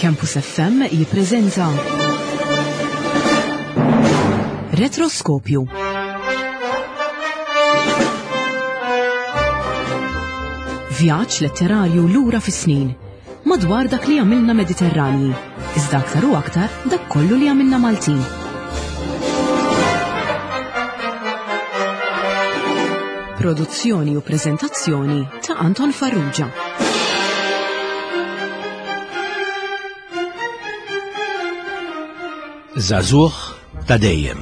Campus FM jippreżenta Retroskopju. Vjaġġ letterarju lura fis-snin madwar dak li għamilna Mediterranji, iżda aktar u aktar dak kollu li għamilna Maltin. Produzzjoni u preżentazzjoni ta' Anton Farrugia. Żagħżugħ ta' dejjem.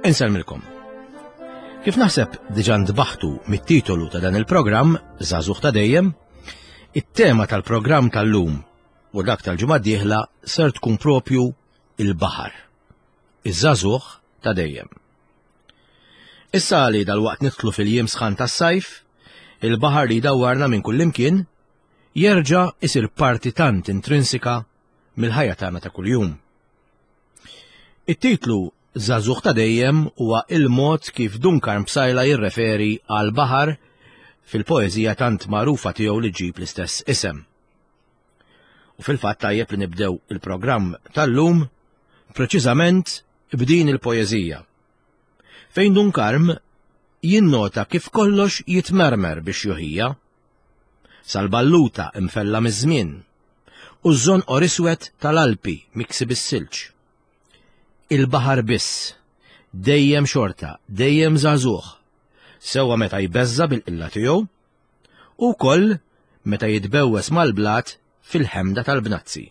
Insellmilkom. Kif naħseb diġà ntbaħtu mit-titolu ta' dan il-programm, Żagħżugħ ta' dejjem, it-tema tal-programm tal-lum u dak tal-ġimgħa d-dieħla ser tkun propju il-baħar. Iż-żagħżugħ ta' dejjem. Issa li dalwaqt nidħlu fil-jiem sħan tas-sajf, il-baħar li jdawwarna minn kullimkien jerġa' isir parti tant intrinsika mill-ħajja tagħna ta' kuljum. It-titlu Żagħżugħ ta' dejjem huwa il-mod kif Dun Karm Psaila jirreferi għall-baħar fil-poeżija tant magħrufa tiegħu li ġġib l-istess isem. U fil-fatt tajjeb li nibdew il-programm tal-lum preċiżament b'din il-poeżija. Fejn Dun Karm jinnota kif kollox jitmermer biex juħija. Sal-balluta imfella miż-żmien u ż-żonqor iswed tal-Alpi miksi bis-silġ. Il-baħar biss, dejjem xorta, dejjem żagħżugħ, sewwa meta jbeżża' bil-qilla tiegħu, u wkoll meta jitbewwes mal-blat fil-ħemda tal-bnazzi.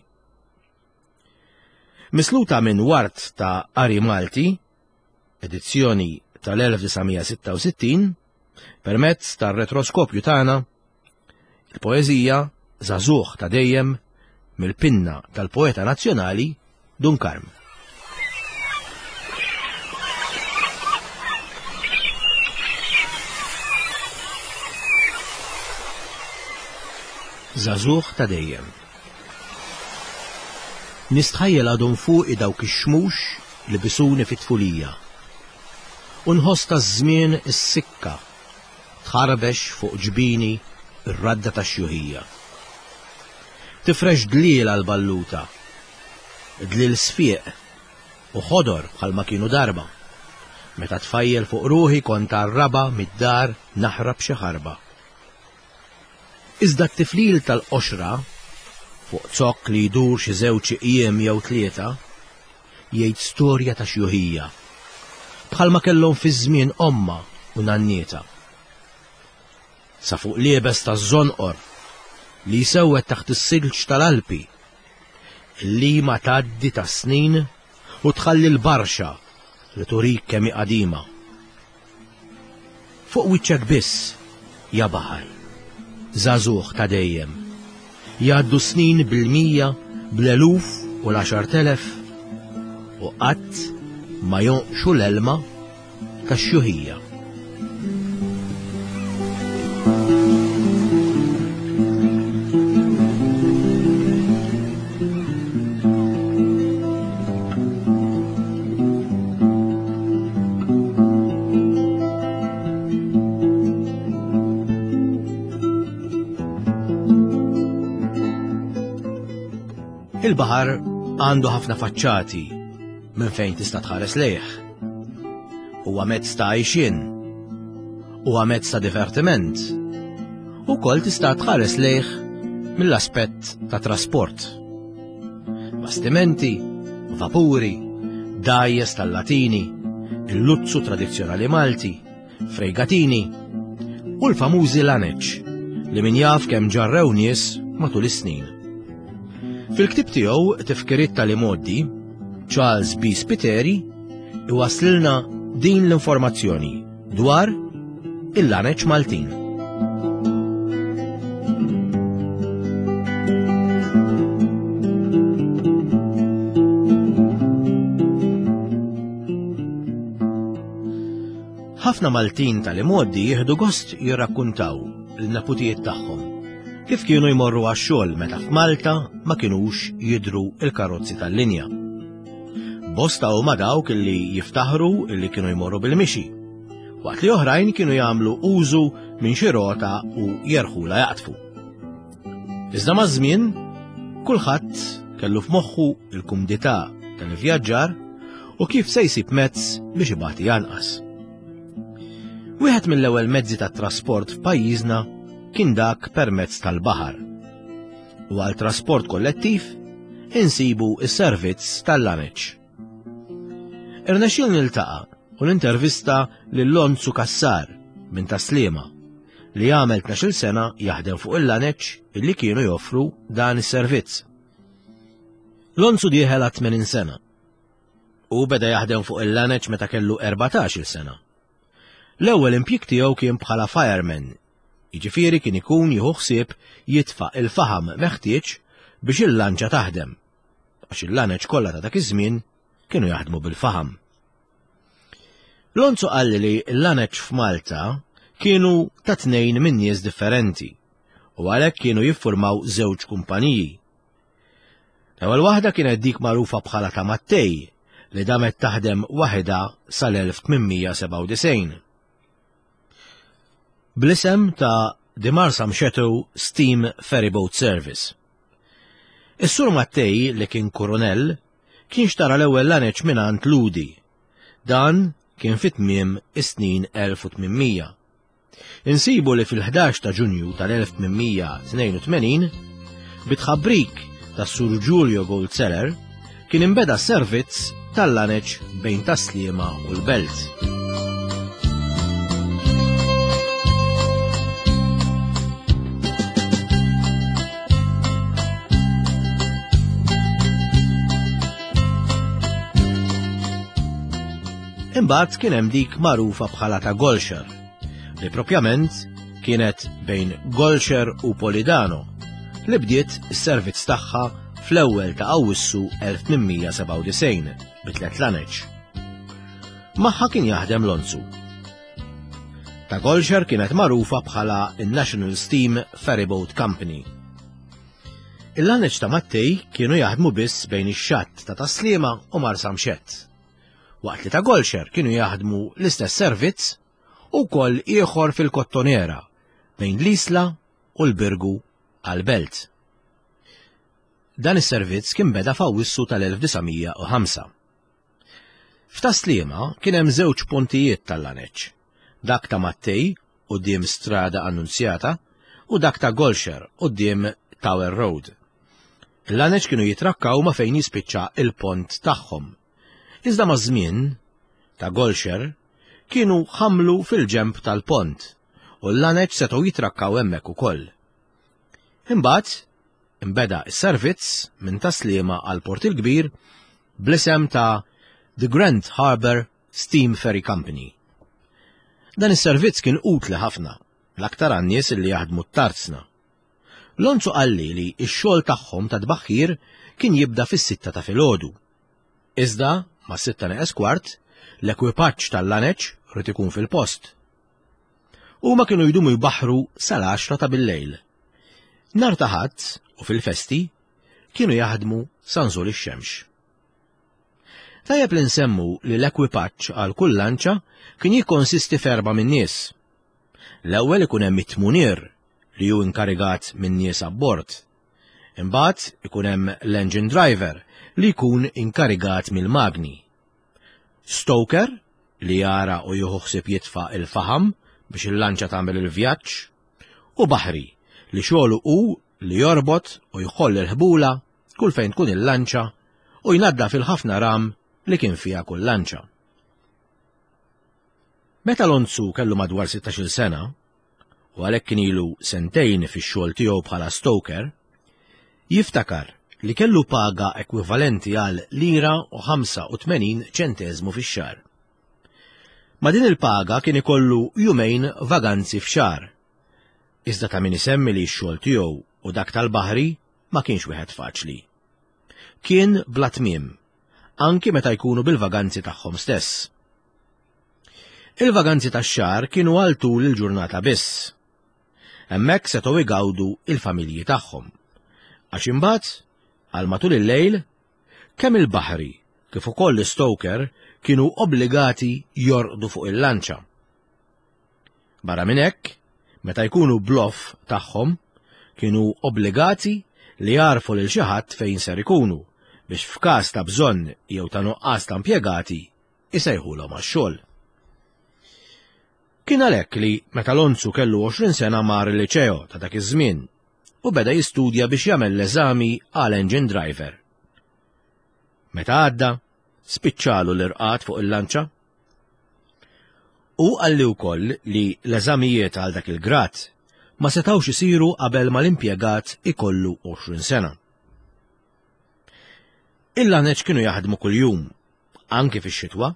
Misluta minn Ward ta' Qari Malti, edizzjoni tal-1966, permezz tar-retroskopju tagħna, Il-poeżija Żagħżugħ ta' dejjem mill-pinna tal-poeta nazzjonali Dun Karm. Żagħżugħ ta' dejjem. Nistħajjel għadhom fuqi dawk ix-xmux li bisuni fit-tfulija. U nħoss taż-żmien is-sikka Tħarbex fuq ġbini r-radda tax-xjuħija. Tifrex dliel għall-balluta, dliel sfieq u ħodor bħalma kienu darba, meta tfajjel fuq ruħi kont għar-raba' mid-dar naħrab xi ħarba. Iżda t-tiflil tal-qoxra, fuq zokk li jdur xi żewġ iqjiem jew tlieta, jgħid storja ta' xjuħija, bħalma kellhom fiż-żmien ommha u nannietha. Sa fuq liebes taż-żonqor li jsewwed taħt is-silġ tal-Alpi, il-lima tgħaddi tas-snin u tħalli l-barxa li turik kemm hi qadima. Fuq wiċċek biss, ja baħar, żagħżugħ ta' dejjem. Jgħaddu s-snin bil-mija, bl-eluf u l-għaxart'elef, u qatt ma jonqxu l-elma tax-xjuħija. Il-baħar għandu ħafna faċċati minn fejn tista' tħares lejh. Huwa mezz ta' għajxien, huwa mezz ta' divertiment. Ukoll tista' tħares lejh mill-aspett ta' trasport. Bastimenti, vapuri, dgħajjes tal-Latini, il-luzzu tradizzjonali Malti, frejgatini u l-famużi laneċ li min jaf kemm ġarrew nies matul is-snin. Fil-ktieb tiegħu Tifkiriet tal-Imgħoddi, Charles B. Spiteri iwaslilna din l-informazzjoni dwar il-laneċ Maltin. Ħafna Maltin tal-imgħoddi jieħdu gost jirrakkuntaw l-neputijiet tagħhom kif kienu jmorru għax-xogħol meta f'Malta ma kinux jidhru l-karozzi tal-linja. Bosta huma dawk illi jiftaħru illi kienu jmorru bil-mixi, waqt li oħrajn kienu jagħmlu użu minn xi rota u jerħula jaqtfu. Iżda maż-żmien, kulħadd kellu f'moħħu il-kumdità tal-ivvjaġġar u kif se jsib mezz biex ibati anqas. Wieħed mill-ewwel mezzi tat-trasport f'pajjiżna kien dak permezz tal-baħar. U għal trasport kollettiv insibu s-servizz tal-laneċ. Irnexxiel niltaqa' u nintervista lil Lonzu Cassar minn Tas-Sliema li għamel 12-il sena jaħdem fuq il-laneċ illi kienu joffru dan is-servizz. Lonzu dieħel għat 80 sena. U beda jaħdem fuq il-laneċ meta kellu 14-il sena. L-ewwel impjieg tiegħu kien bħala fireman, jiġifieri kien ikun jieħu ħsieb jitfa' il-faħam meħtieġ biex il-lanċa taħdem, għax il-laneċ kollha ta' dak iż-żmien kienu jaħdmu bil-faħam. Lonzo qalli li l-laneċ f'Malta kienu ta' tnejn minn nies differenti u għalhekk kienu jiffurmaw żewġ kumpaniji. L-ewwel waħda kienet dik magħrufa bħala ta' Mattej li damet taħdem waħedha sal-1897. Bl-isem ta' The Marsamxetto Steam Ferryboat Service. Is-Sur Mattej li kien kurunell kien xtara l-ewwel laneċ mingħand Ludi. Dan kien fi tmiem is-snin 1800. Insibu li fil-11 ta' Ġunju tal-1882, bi tħabbrik tas-Sur Giulio Goldseller, kien inbeda s-servizz tal-laneċ bejn Tas-Sliema u l-Belt. Imbagħad kien hemm dik magħrufa bħala ta' Golxer, li propjament kienet bejn Golxer u Polidano, li bdiet is-servizz tagħha fl-ewwel ta' Awwissu 1897 bi tliet laneċ. Magħha kien jaħdem Lonzu. Ta' Golxer kienet magħrufa bħala n-National Steam Ferryboat Company. Il-laneċ ta' Mattej kienu jaħdmu biss bejn ix-xatt ta' Tas-Sliema u Marsamxett, waqt li ta' Golxer kienu jaħdmu l-istess servizz u wkoll ieħor fil-Kottonera bejn l-Isla u l-Birgu għall-Belt. Dan is-servizz kien beda f'Awwissu tal-1905. F'Tas-Sliema kien hemm żewġ pontijiet tal-laneċ, dak ta' Mattei quddiem Strada Annunzjata u dak ta' Golxer quddiem Tower Road. Il-laneċ kienu jitrakkaw ma' fejn jispiċċa il-pont tagħhom. Iżda maż-żmien, ta' Golxer kienu ħamlu fil-ġenb tal-pont u l-laneċ setgħu jitrakkaw hemmhekk ukoll. Imbagħad Inbeda s-servizz minn Tas-Sliema għal Port il-Kbir bl-isem ta' The Grand Harbour Steam Ferry Company. Dan is-servizz kien utli ħafna, l-aktar għan-nies li jaħdmu t-tarzna. Lonzu qalli li x-xogħol tagħhom ta' tbaħħir kien jibda fis-sitta ta' filgħodu. Iżda, mas-sitta neqes kwart, l-ekwipaġġ tal-laneċ rid ikun fil-post. Huma kienu jdumu jbaħħru sal-għaxra ta' billejl. Nhar ta' Ħadd u fil-festi kienu jaħdmu sa nżul ix-xemx. Tajjeb li nsemmu li l-ekwipaġġ għal kull lanċa kien jikkonsisti f'erba' min-nies. L-ewwel ikun hemm it-tmunier li hu inkarigat minn nies abbord. Imbagħad ikun hemm l-engine driver li jkun inkarigat mill-magni. Stoker li jara u jieħu ħsieb jitfa' il-faħam biex il-lanċa tagħmel il-vjaġġ, u baħri li xogħlu hu li jorbot u jħoll il-ħbula kull fejn tkun il-lanċa u jnaddaf il-ħafna ram li kien fiha kull lanċa. Meta Lonzu kellu madwar 16-il sena, u għalhekk kien ilu sentejn fix-xogħol tiegħu bħala stoker, jiftakar li kellu paga ekwivalenti għal lira u 85 ċenteżmu fix-xahar. Ma' din il-paga kien ikollu jumejn vaganzi f'xahar. Iżda ta' min isemmi li x-xogħol tiegħu u dak tal-baħri ma kienx wieħed faċli. Kien bla tmiem, anki meta jkunu bil-vaganzi tagħhom stess. Il-vaganzi tax-xahar kienu għal tul il-ġurnata biss. Hemmhekk setgħu igawdu il-familji tagħhom. Għax imbagħad, għal matul il-lejl, Kemm il-baħri kif ukoll l-istoker kienu obbligati jorqdu fuq il-lanċa. Barra minn hekk, Meta jkunu bl-off tagħhom, kienu obbligati li jgħarrfu lil xi ħadd fejn ser ikunu biex f'każ ta' bżonn jew ta' nuqqas ta' impjegati isejħulhom għax-xogħol. Kien għalhekk li meta Lonzu kellu 20 sena mar il-liċeo ta' dak iż-żmien u beda jistudja biex jagħmel l-eżami għal engine driver. Meta għadda, spiċċalu l-irqad fuq il-lanċa. Hu qalli wkoll li l-eżamijiet għal dak il-grad ma setgħux isiru qabel ma l-impjegat ikollu 20 sena. Il-laneċ kienu jaħdmu kuljum, anki fix-xitwa.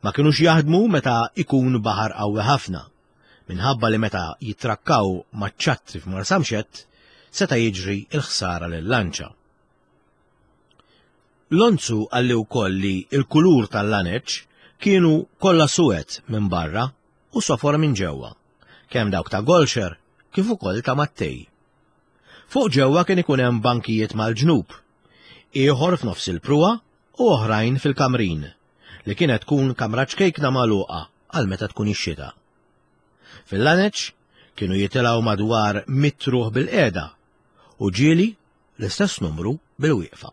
Ma kinux jaħdmu meta ikun baħar qawwi ħafna, minħabba li meta jitrakkaw maċ-ċattri f'Marsamxett seta' jiġri l-ħsara lil-lanċa. Lonzu qalli wkoll li l-kulur tal-laneċ kienu kollha suwed minn barra u sofor minn ġewwa, kemm dawk ta' Golxer kif ukoll ta' Mattei. Fuq ġewwa kien ikun hemm bankijiet mal-ġnub, ieħor f'nofs il-pruwa u oħrajn fil-kamrin, li kienet tkun kamra ċkejkna magħluqa għal meta tkun ix-xita. Fil-laneċ kienu jitilgħu madwar mitt ruħ bilqiegħda u ġieli l-istess numru bil-wieqfa.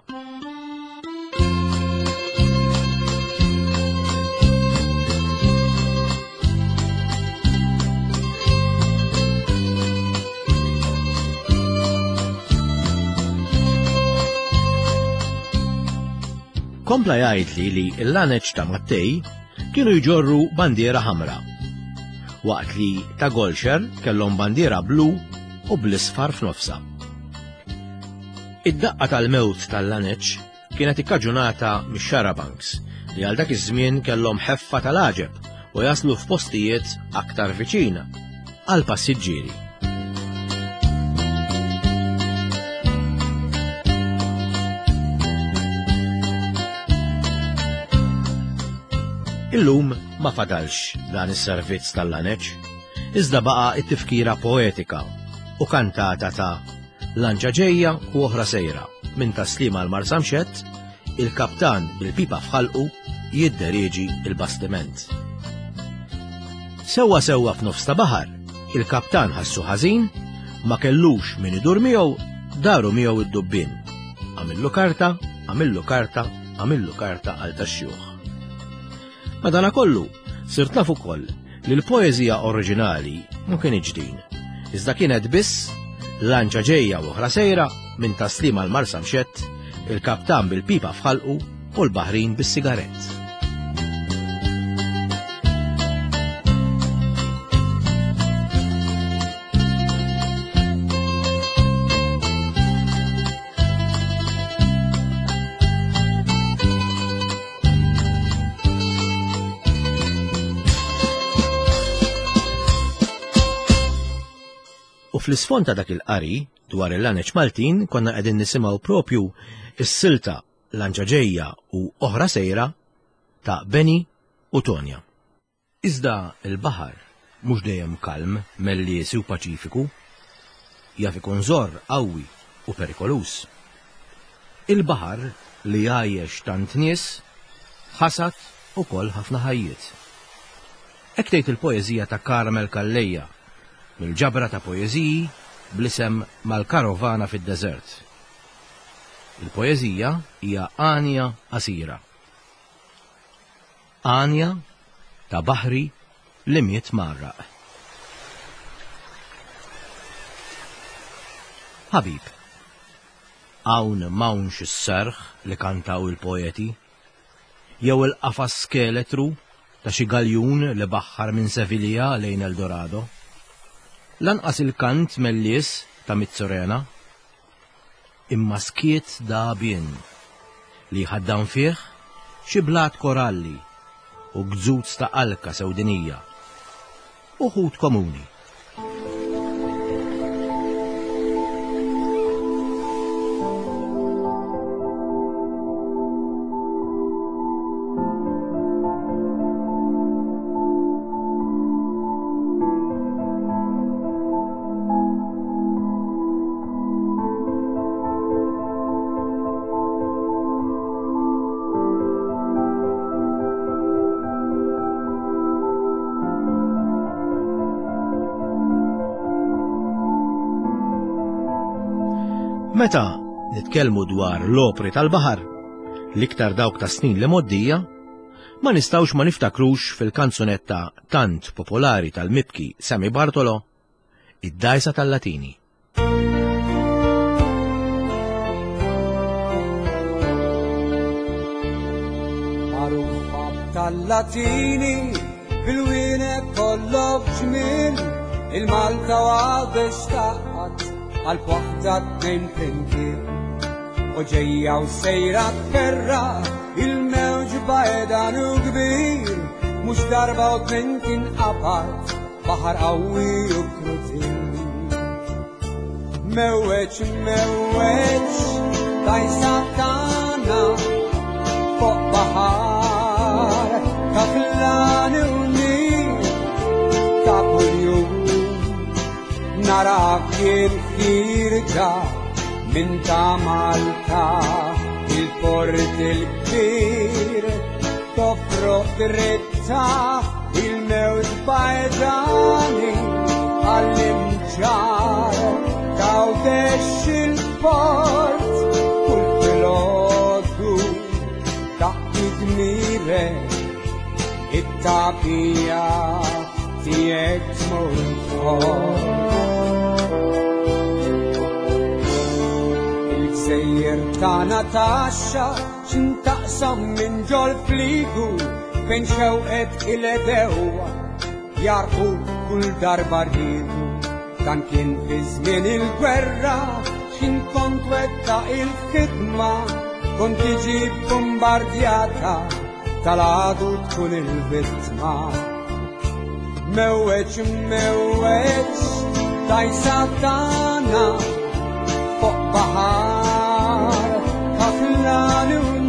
Kompla jgħidli li l-laneċ ta' Mattej kienu jġorru bandiera ħamra, waqt li ta' Golxer kellhom bandiera blu u bl-isfar f'nofsha. Id-daqqa tal-mewt tal-laneċ kienet ikkaġunata mix-xarabanks li għal dak iż-żmien kellhom ħeffa tal-għaġeb u jaslu f'postijiet aktar viċin għall-passiġġieri. Illum ma fadalx dan is-servizz tal-laneċ, iżda baqa' it-tifkira poetika u kantata ta' Lanċa ġejja u oħra sejra, minn Tas-Sliema għal Marsamxett, il-kaptan bil-pipa f'ħalqu jidderieġi l-bastiment. Sewwa sewwa f'nofs ta' baħar, il-kaptan ħassu ħażin, ma kellux min idur miegħu, daru miegħu id-dubbien. Għamillu karta, għamillu karta, għamillu karta għal tax-xjuħ. Madanakollu, sirt naf ukoll li l-poeżija oriġinali ma kinitx din, iżda kienet biss lanċa ġejja u oħra sejra minn Tas-Sliema għal Marsamxett, il-kaptan bil-pipa f'ħalqu u l-baħrin bis-sigarett. U fl-isfond ta' dak il-qari dwar il-laneċ Maltin konna qegħdin nisimgħu propju is-silta Lanċa ġejja u oħra sejra ta' Benny u Tonja. Iżda l-baħar mhux dejjem kalm, melliesi u paċifiku. Jaf ikun żorr qawwi u perikoluż. Il-baħar li jgħajjex tant nies, ħasad ukoll ħafna ħajjiet. Hekk tgħid il-poeżija ta' Carmel Calleja mill-ġabra ta' poeżiji bl-isem Mal-Karovana fid-Deżert. Il-poeżija hija għanja qasira. Għanja ta' baħri li miet mgħarraq. Ħabib, hawn m'hawnx is-serħ li kantaw il-poeti, jew il-qafas skeletru ta' xi galjun li baħħar minn Sevilja lejn El Dorado. Lanqas il-kant mellies ta' Mizzurena. Imma skiet dagħbien li jħaddan fih xi blat koralli u gzuz ta' alka sewdinija u ħut komuni. Meta nitkellmu dwar l-opri tal-baħar, l-iktar dawk ta' snin li moddija, ma nistgħux ma niftakrux fil-kanzunetta tant popolari tal-mibki Sammy Bartolo, Id-dgħajsa tal-Latini. Magħrufa tal-Latini bil-wienek kollok ġmiel il-Malta u għabex taqgħad għal waħda tnejn flimkien. U ġejja u sejra tferra il-mewġ bajdan u kbir mhux darba u tnejn tinqabad Baħar qawwi u krudil. Mewweġ, mewweġ, dajsa tagħna fuq baħar ta' flani u nil ta' kuljum. Narak jien ħirġa minn ta' Malta il-port il-kbir toffroq dritta Il-mewt bajdani għall-imġar tawdex il-port kull filgħodu taqdi dmirek it-tagħbija tiegħek tmur Il-gżejjer tagħna taxxa X'intaqsam minn ġol fliegu fejn xewqet il-edewwa jarqu kull darba rridu. Dan kien fi żmien il-gwerra x'in kont wetta il-ħidma kont tiġi bombardjata tal-għadu tkun il-vittma. Mewweġ, mewweġ, dajsa tagħna fuq baħar kaflani u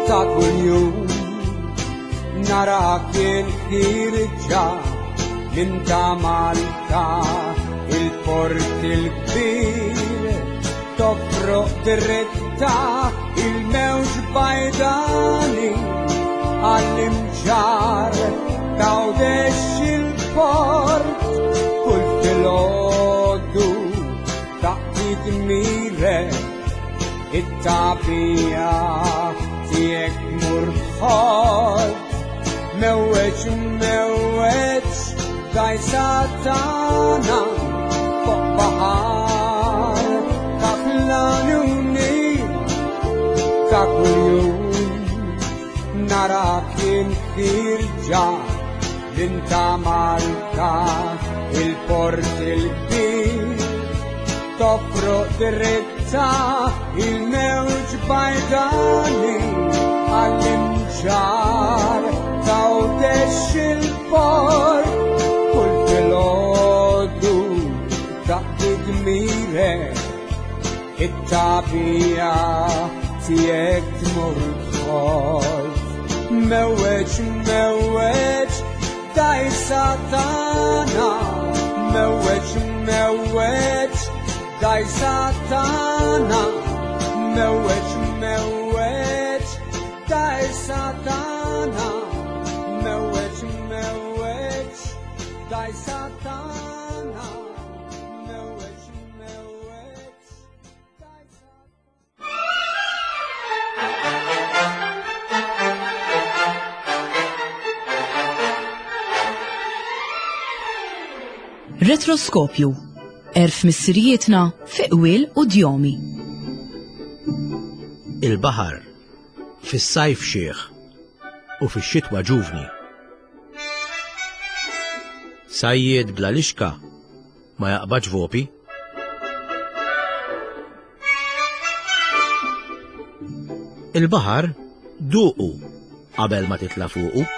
ta' kuljum narak il-ħirġa minn ta' Malta il-port il-kbir Tofroq dritta il-mewġ bajdani għall-imġar tawdex il-port kull filgħodu taqdi dmirek it-tagħbija tiegħek tmur tħodd mewweġ mewweġ dgħajsa tagħna fuq baħar ta' fl-għanuni ta' kuljum narak jien ħirġa minn ta' Malta il-port il-kbir tofroq dritta il-mewġ bajdani għall-imġar tawdex il-port kull filgħodu taqdi dmirek it-tagħbija tiegħek tmur tħoll. Mewweġ, mewweġ, dajsa tagħna, mewweġ, mewweġ, dajsa tagħna, mewweġ, mewweġ, dajsa tagħna, mewweġ, mewweġ, dajsa tagħna, mewweġ, mewweġ, dajsa Retroskopju. Erf missirijietna fi qwiel u djomi. Il-baħar fis-sajf xiħ u fix-xitwa ġuvni. Sajjied bla lixka ma jaqbadx vopi. Il-baħar duqu qabel ma titla' fuqu.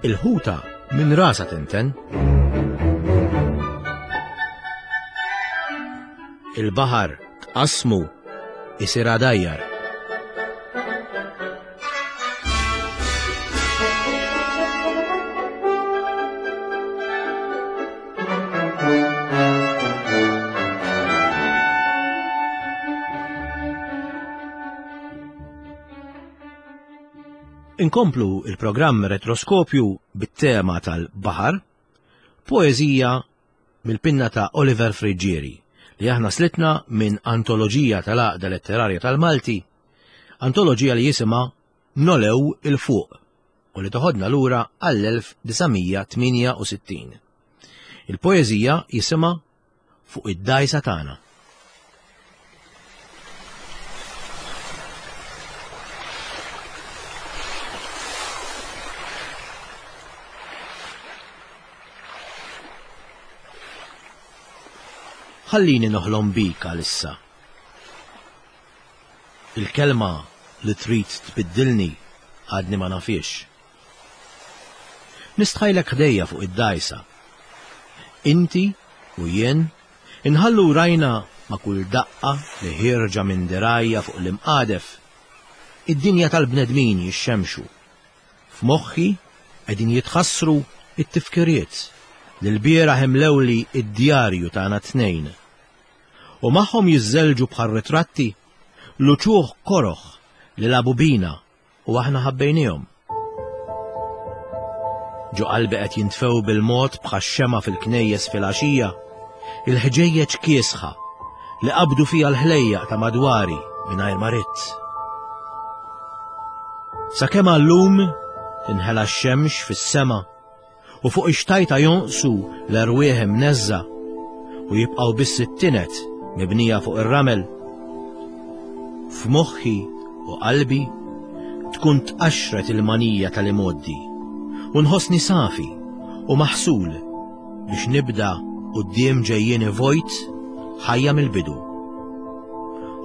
Il-ħuta minn rasa tinten. Il-baħar tqassmu isir għadajjar. Inkomplu il-programm Retroskopju bit-tema tal-baħar, poeżija mill-pinna ta' Oliver Friggieri li aħna slitna minn antoloġija tal-Għaqda Letterarja tal-Malti, antoloġija li jisimha Nolew 'il Fuq u li toħodna lura għall-1968. Il-poeżija jisimha Fuq id-dgħajsa tagħna. Ħallini noħlom bik għalissa. Il-kelma li trid tbiddilni għadni ma nafhiex. Nistħajlek ħdejja fuq id-dgħajsa. Inti u jien inħallu rajna ma' kull daqqa li ħierġa minn dirgħajja fuq l-imqadef, id-dinja tal-bnedmin jixxemmxu. F'moħħi qegħdin jitħassru t-tifkiriet li lbieraħ imlewli d-djarju tagħna t-tnejn. U magħhom jiżżelġu bħal ritratti l-uċuħ koroh li lagħbu bina u aħna ħabbejniehom. Ġo qalbi qed jintfew bil-mod bħax-xemgħa fil-knejjes filgħaxija, il-ħġejjeġ kiesħa li qabdu fija l-ħlejjaq ta' madwari mingħajr ma ridt. Sakemm għallum tinħela x-xemx fis-sema u fuq ix-xtajta jonqsu l-erwieħ imneżża u jibqgħu biss it-tinet mibnija fuq ir-ramel. F'moħħi u qalbi tkun tqaxxret il-manija tal-imgħoddi u nħossni safi u maħsul biex nibda quddiem ġejjieni vojt ħajja mill-bidu.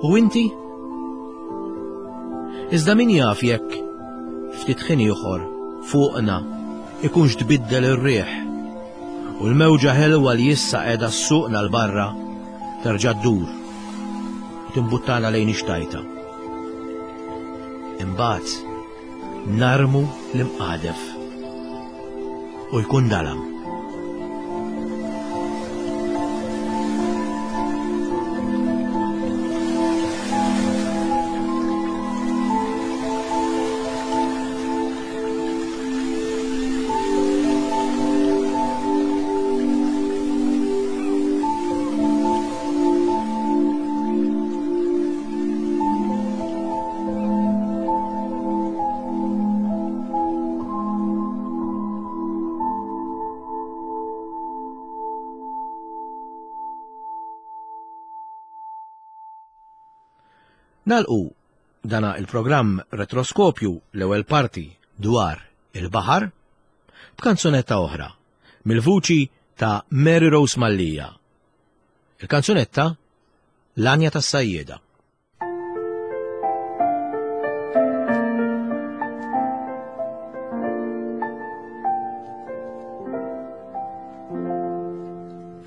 U inti? Iżda min jaf jekk ftit ħin ieħor fuqna ikunx tbiddel ir-riħ u l-mewġa ħelwa li issa qiegħda ssuqna 'l barra terġa' ddur u timbuttana lejn ix-xtajta. Imbagħad narmu l-imqadef u jkun dalam. Nalqu dana il-programm Retroskopju l-ewwel parti dwar il-baħar b'kanzunetta oħra mill-vuċi ta' Mary Rose Mallia. Il-kanzunetta L-Għanja tas-Sajjieda.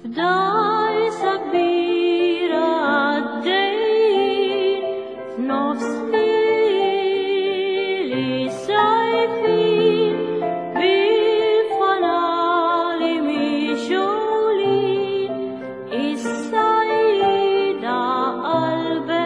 F'dajsa kbira għaddejjin f'nofs lili sajfin bil-fanali mixgħulin is-sajjieda qalbejn.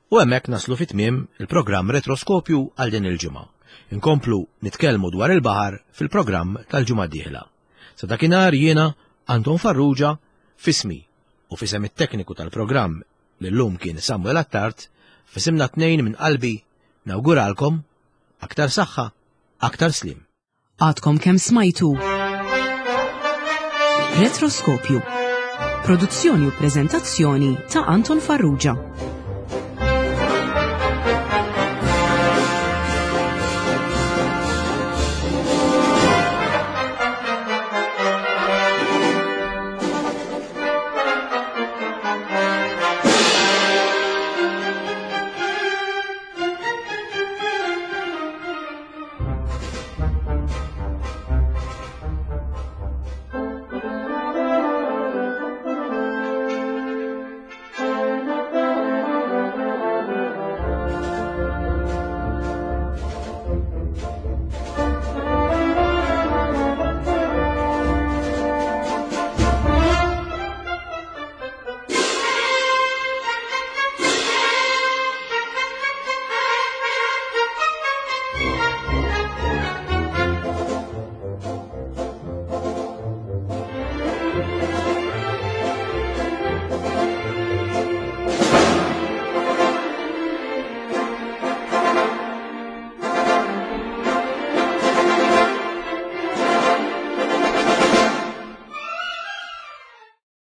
U hemmhekk naslu fi tmiem il-programm Retroskopju għal din il-ġimgħa. Inkomplu nitkellmu dwar il-baħar fil-programm tal-ġimgħa d-dieħla. Sa dakinhar jiena Anton Farrugia f'ismi u f'isem it-tekniku tal-programm li llum kien Samuel Attard, f'isimna tnejn minn qalbi nawguralkom aktar saħħa, aktar sliem. Għadkom kemm smajtu Retroskopju. Produzzjoni u preżentazzjoni ta' Anton Farrugia.